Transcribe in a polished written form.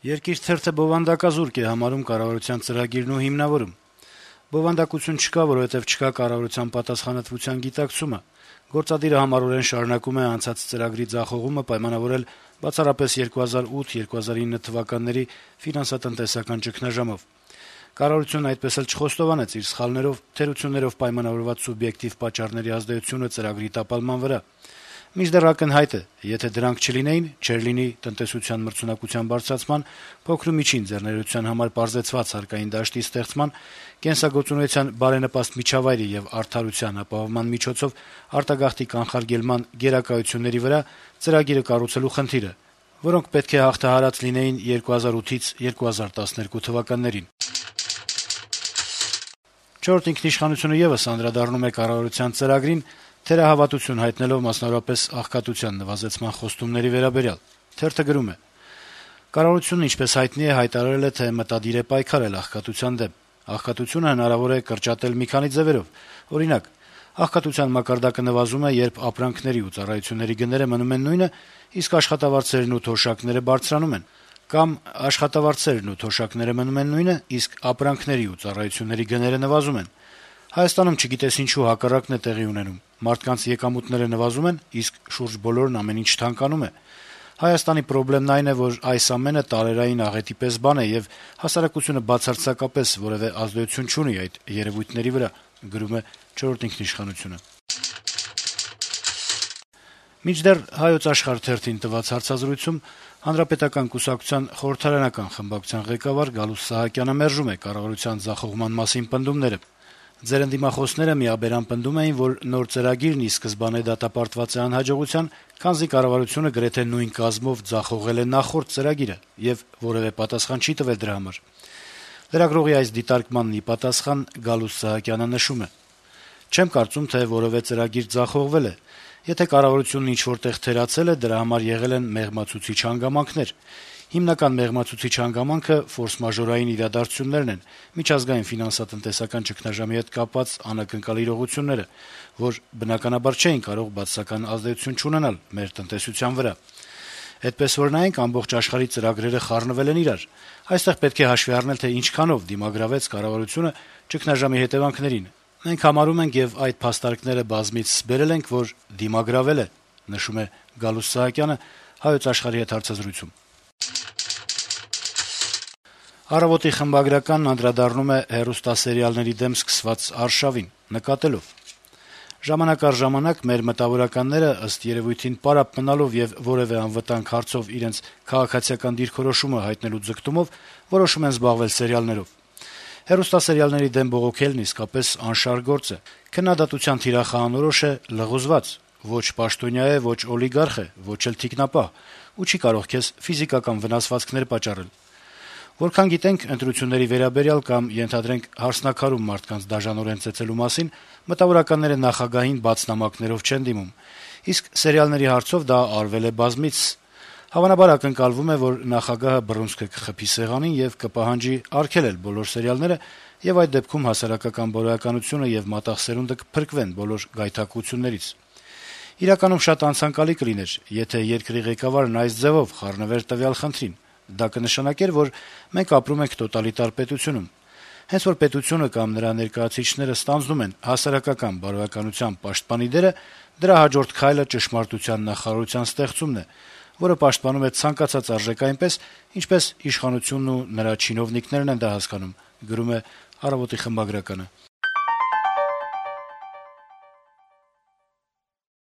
Երկիր թերթը բովանդակազուրկ է համարում կառավարության ծրագիրն ու հիմնավորում. - «Բովանդակություն չկա, որովհետեւ չկա կառավարության պատասխանատվության գիտակցումը: Գործադիրը համառորեն շարունակում է անցած ծրագրի ձախողումը պայմանավորել բացառապես 2008-2009 թվականների ֆինանսատնտեսական ճգնաժամով: Կառավարությունն այդպես էլ չխոստովանեց իր սխալներով, թերություններով պայմանավորված սուբյեկտիվ պատճառների ազդեցությունը ծրագրի տապալման վրա: Մինչդեռ ակնհայտ է, եթե դրանք չլինեին, չէր լինի տնտեսության մրցունակության բարձրացման, փոքր ու միջին ձեռներեցության համար պարզեցված հարկային դաշտի ստեղծման, կենսագործունեության բարենպաստ միջավայրի եւ արդարության ապահովման միջոցով արտագաղթի կանխարգելման գերակայությունների վրա ծրագիրը կառուցելու խնդիրը, որոնք պետք է հաղթահարած լինեին 2008-2012 թվականներին»: «Չորրորդ ինքնիշխանություն»-ը եւս անդրադառնում է կառավարության ծրագրին, թերահավատություն հայտնելով մասնավորապես աղքատության նվազեցման խոստումների վերաբերյալ: Թերթը գրում է. - «Կառավարությունն, ինչպես հայտնի է, հայտարարել է, թե մտադիր է պայքարել աղքատության դեմ: Աղքատությունը հնարավոր է կրճատել մի քանի ձեւերով: Օրինակ, աղքատության մակարդակը նվազում է, երբ ապրանքների ու ծառայությունների գները մնում են նույնը, իսկ աշխատավարձերն ու թոշակները բարձրանում են: Կամ աշխատավարձերն ու թոշակները մնում են նույնը, իսկ ապրանքների ու ծառայությունների գները նվազում են: Հայաստանում, չգիտես ինչու, հակառակն է տեղի ունենում. մարդկանց եկամուտները նվազում են, իսկ շուրջ բոլորն ամեն ինչ թանկանում է: Հայաստանի պրոբլեմն այն է, որ այս ամենը տարերային աղետի պես բան է, եւ հասարակությունը բացարձակապես որեւէ ազդեցություն չունի այդ երեւույթների վրա»: Մինչդեռ «Հայոց Աշխարհ» թերթին տված հարցազրույցում Հանրապետական կուսակցության խորհրդարանական խմբակցության ղեկավար Գալուստ Սահակյանը մերժում է կառավարության ձախողման մասին պնդումները: «Ձեր ընդդիմախոսները միաբերան պնդում էին, որ նոր ծրագիրն ի սկզբանե դատապարտված է անհաջողության, քանզի կառավարությունը գրեթե նույն կազմով ձախողել է նախորդ ծրագիրը եւ որեւէ պատասխան չի տվել դրա համար»: Լրագրողի այս դիտարկմանն ի պատասխան Գալուստ Սահակյանը նշում է. - «Չեմ կարծում, թե որեւէ ծրագիր ձախողվել է: Եթե կառավարությունն ինչ-որ տեղ թերացել է, դրա համար եղել են մեղմացուցիչ հանգամանքներ: Հիմնական մեղմացուցիչ հանգամանքը ֆորսմաժորային իրադարձություններն են, միջազգային ֆինանսատնտեսական ճգնաժամի հետ կապված անակնկալ իրողությունները, որ բնականաբար չէին կարող բացասական ազդեցություն չունենալ մեր տնտեսության վրա: Էդպես որ նայենք, ամբողջ աշխարհի ծրագրերը խառնվել են իրար: Այստեղ պետք է հաշվի առնել, թե ինչքանով դիմագրավեց կառավարությունը ճգնաժամի հետեւանքներին: Մենք համարում ենք եւ այդ փաստարկները բազմիցս բերել ենք, որ դիմագրավել է»: «Առավոտ»-ի խմբագրականն անդրադառնում է հեռուստասերիալների դեմ սկսված արշավին` նկատելով. - «Ժամանակ առ ժամանակ մեր մտավորականները, ըստ երեւույթին պարապ մնալով եւ որեւէ անվտանգ հարցով իրենց քաղաքացիական դիրքորոշումը հայտնելու ձգտումով որոշում են զբաղվել սերիալներով: Հեռուստասերիալների դեմ բողոքելն իսկապես անշարժ գործ է: Քննադատության թիրախը անորոշ է, լղոզված: Ոչ պաշտոնյա է, ոչ օլիգարխ է, ոչ էլ թիկնապահ ու չի կարող քեզ ֆիզիկական վնասվածքներ պատճառել: Որքան գիտենք, ընտրությունների վերաբերյալ կամ, ենթադրենք, «հարսնաքարում» մարդկանց դաժանորեն ծեծելու մասին մտավորականները նախագահին բաց նամակներով չեն դիմում, իսկ սերիալների հարցով դա արվել է բազմիցս: Հավանաբար ակնկալվում է, որ նախագահը բռունցքը կխփի սեղանին եւ կպահանջի արգելել բոլոր սերիալները, եւ այդ դեպքում հասարակական բարոյականությունը եւ մատաղ սերունդը կփրկվեն բոլոր գայթակղություններից: Իրականում շատ անցանկալի կլիներ, եթե երկրի ղեկավարն այս ձևով խառնվեր տվյալ խնդրին: Դա կնշանակեր, որ մենք ապրում ենք տոտալիտար պետությունում: Հենց որ պետությունը կամ նրա ներկայացուցիչները ստանձնում են հասարակական բարոյականության պաշտպանի դերը, դրա հաջորդ քայլը ճշմարտության նախարարության ստեղծումն է, որը պաշտպանում է ցանկացած արժեք այնպես, ինչպես իշխանությունն ու նրա չինովնիկներն են դա հասկանում»: